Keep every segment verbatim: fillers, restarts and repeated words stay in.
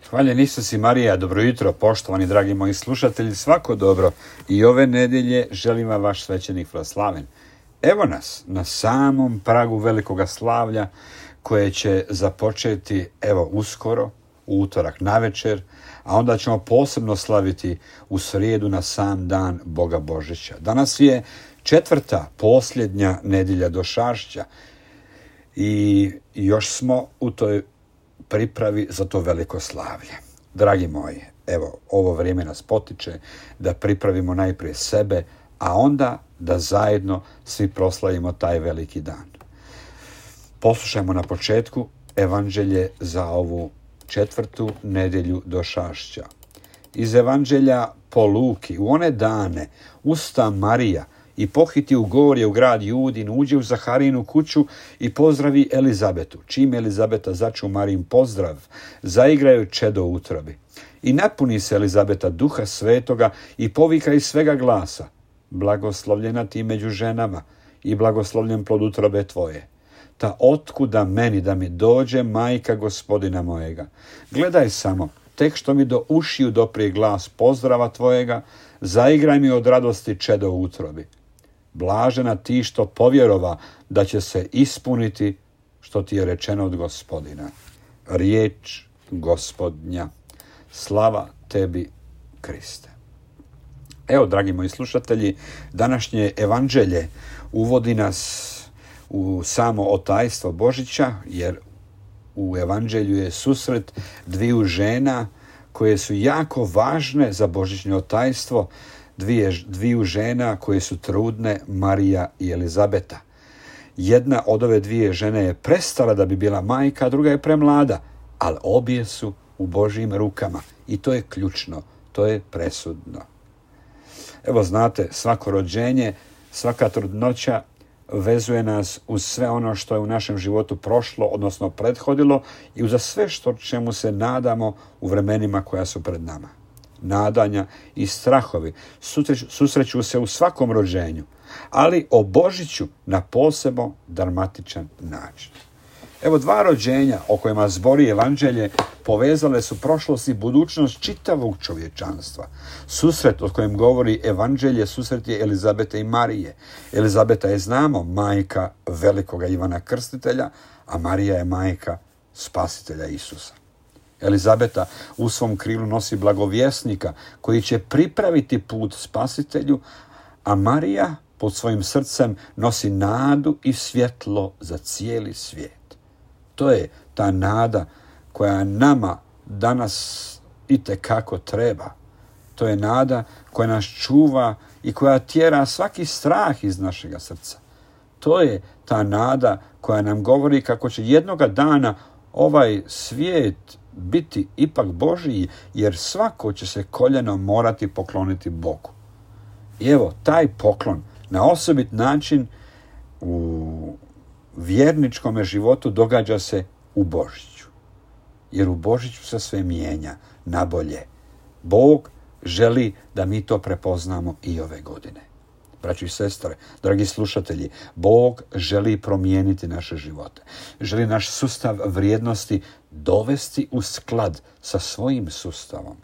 Hvaljen Isus i Marija, dobro jutro, poštovani dragi moji slušatelji, svako dobro. I ove nedjelje želim vam vaš svećenik Vlaslaven. Evo nas na samom pragu velikoga slavlja koje će započeti evo uskoro, u utorak navečer, a onda ćemo posebno slaviti u srijedu na sam dan Boga Božića. Danas je četvrta, posljednja nedjelja došašća i još smo u toj pripravi za to veliko slavlje. Dragi moji, evo, ovo vrijeme nas potiče da pripravimo najprije sebe, a onda da zajedno svi proslavimo taj veliki dan. Poslušajmo na početku evanđelje za ovu četvrtu nedjelju došašća. Iz evanđelja po Luki, u one dane usta Marija i pohiti u gorje u grad Judin, uđe u Zaharijinu kuću i pozdravi Elizabetu. Čim Elizabeta začu Marijin pozdrav, zaigraju čedo u utrobi. I napuni se Elizabeta duha svetoga i povika iz svega glasa: blagoslovljena ti među ženama i blagoslovljen plod utrobe tvoje. Ta otkuda meni da mi dođe majka gospodina mojega? Gledaj samo, tek što mi do ušiju doprije glas pozdrava tvojega, zaigraj mi od radosti čedo u utrobi. Blažena ti što povjerova da će se ispuniti što ti je rečeno od gospodina. Riječ gospodnja. Slava tebi, Kriste. Evo, dragi moji slušatelji, današnje evanđelje uvodi nas u samo otajstvo Božića, jer u evanđelju je susret dviju žena koje su jako važne za božićno otajstvo, dvije, dviju žena koje su trudne, Marija i Elizabeta. Jedna od ove dvije žene je prestala da bi bila majka, a druga je premlada, ali obje su u Božjim rukama i to je ključno, to je presudno. Evo znate, svako rođenje, svaka trudnoća vezuje nas uz sve ono što je u našem životu prošlo, odnosno prethodilo, i uz sve što čemu se nadamo u vremenima koja su pred nama. Nadanja i strahovi susreću, susreću se u svakom rođenju, ali o Božiću na posebno dramatičan način. Evo, dva rođenja o kojima zbori evanđelje povezale su prošlost i budućnost čitavog čovječanstva. Susret o kojem govori evanđelje, susret je Elizabete i Marije. Elizabeta je, znamo, majka velikoga Ivana Krstitelja, a Marija je majka spasitelja Isusa. Elizabeta u svom krilu nosi blagovjesnika koji će pripraviti put spasitelju, a Marija pod svojim srcem nosi nadu i svjetlo za cijeli svijet. To je ta nada koja nama danas itekako treba. To je nada koja nas čuva i koja tjera svaki strah iz našega srca. To je ta nada koja nam govori kako će jednoga dana ovaj svijet biti ipak Božiji, jer svako će se koljeno morati pokloniti Bogu. I evo, taj poklon na osobit način u vjerničkome životu događa se u Božiću. Jer u Božiću se sve mijenja na bolje. Bog želi da mi to prepoznamo i ove godine. Braći i sestre, dragi slušatelji, Bog želi promijeniti naše živote. Želi naš sustav vrijednosti dovesti u sklad sa svojim sustavom.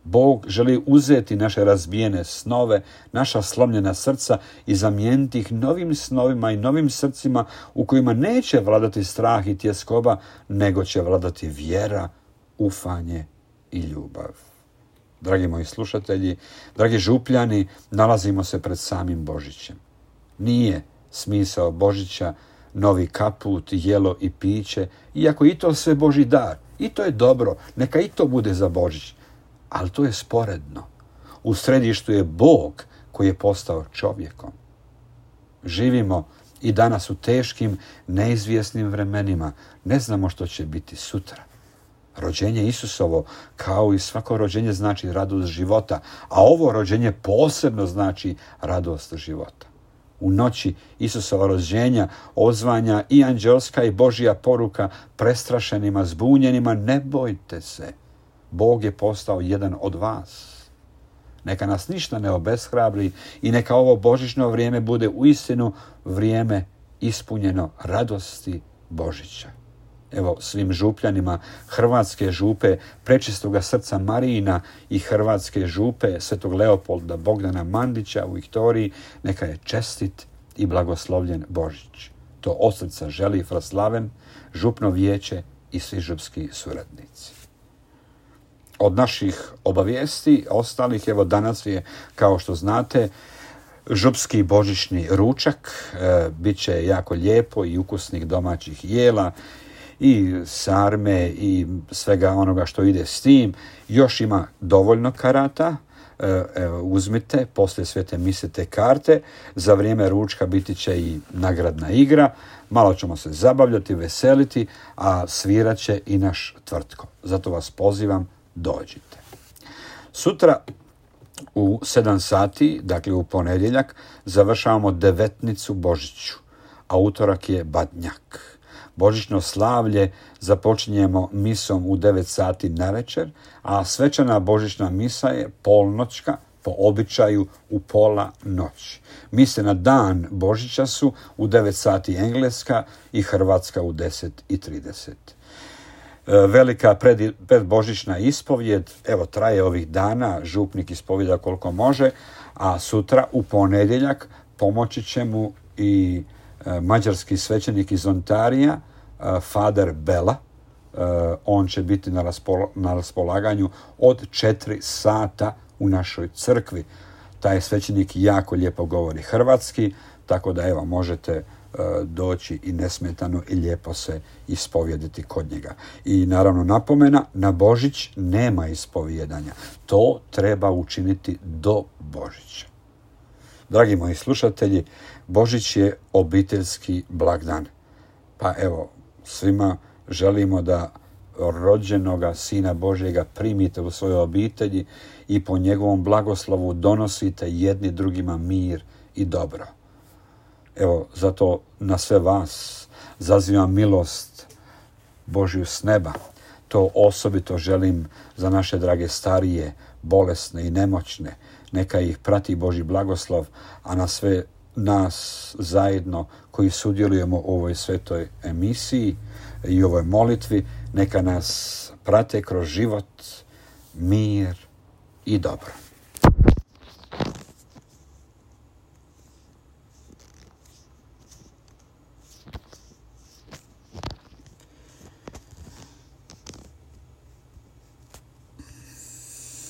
Bog želi uzeti naše razbijene snove, naša slomljena srca i zamijeniti ih novim snovima i novim srcima u kojima neće vladati strah i tjeskoba, nego će vladati vjera, ufanje i ljubav. Dragi moji slušatelji, dragi župljani, nalazimo se pred samim Božićem. Nije smisao Božića novi kaput, jelo i piće, iako i to sve Božji dar. I to je dobro, neka i to bude za Božić. Ali to je sporedno. U središtu je Bog koji je postao čovjekom. Živimo i danas u teškim, neizvjesnim vremenima. Ne znamo što će biti sutra. Rođenje Isusovo, kao i svako rođenje, znači radost života, a ovo rođenje posebno znači radost života. U noći Isusova rođenja odzvanja i anđelska i Božja poruka prestrašenima, zbunjenima: ne bojte se, Bog je postao jedan od vas. Neka nas ništa ne obeshrabri i neka ovo božićno vrijeme bude uistinu vrijeme ispunjeno radosti Božića. evo svim župljanima Hrvatske župe Prečistoga srca Marijina i Hrvatske župe Svetog Leopolda Bogdana Mandića u Viktoriji, neka je čestit i blagoslovljen Božić. To od srca želi Fraslaven, župno vijeće i svi župski suradnici. Od naših obavijesti ostalih, evo danas je, kao što znate, župski božićni ručak, e, bit će jako lijepo i ukusnih domaćih jela i sarme i svega onoga što ide s tim. Još ima dovoljno karata, e, e, uzmite, poslije svete mise te karte, za vrijeme ručka biti će i nagradna igra, malo ćemo se zabavljati, veseliti, a svirat će i naš Tvrtko. Zato vas pozivam, dođite. Sutra u sedam sati, dakle u ponedjeljak, završavamo devetnicu Božiću, a utorak je Badnjak. Božićno slavlje započinjemo misom u devet sati navečer, a svečana božićna misa je polnoćka, po običaju u pola noći. Mise na dan Božića su u devet sati engleska i hrvatska u deset i trideset. Velika pred, predbožićna ispovjed, evo traje ovih dana, župnik ispovjeda koliko može, a sutra u ponedjeljak pomoći će mu i e, mađarski svećenik iz Ontarija, e, Fader Bela. E, on će biti na, raspol, na raspolaganju od četiri sata u našoj crkvi. Taj svećenik jako lijepo govori hrvatski, tako da evo možete doći i nesmetano i lijepo se ispovjediti kod njega. I naravno napomena, na Božić nema ispovjedanja. To treba učiniti do Božića. Dragi moji slušatelji, Božić je obiteljski blagdan. Pa evo, svima želimo da rođenoga Sina Božjega primite u svojoj obitelji i po njegovom blagoslovu donosite jedni drugima mir i dobro. Evo, zato na sve vas zazivam milost Božju s neba. To osobito želim za naše drage starije, bolesne i nemoćne. Neka ih prati Božji blagoslov, a na sve nas zajedno koji sudjelujemo u ovoj svetoj emisiji i ovoj molitvi, neka nas prate kroz život, mir i dobro.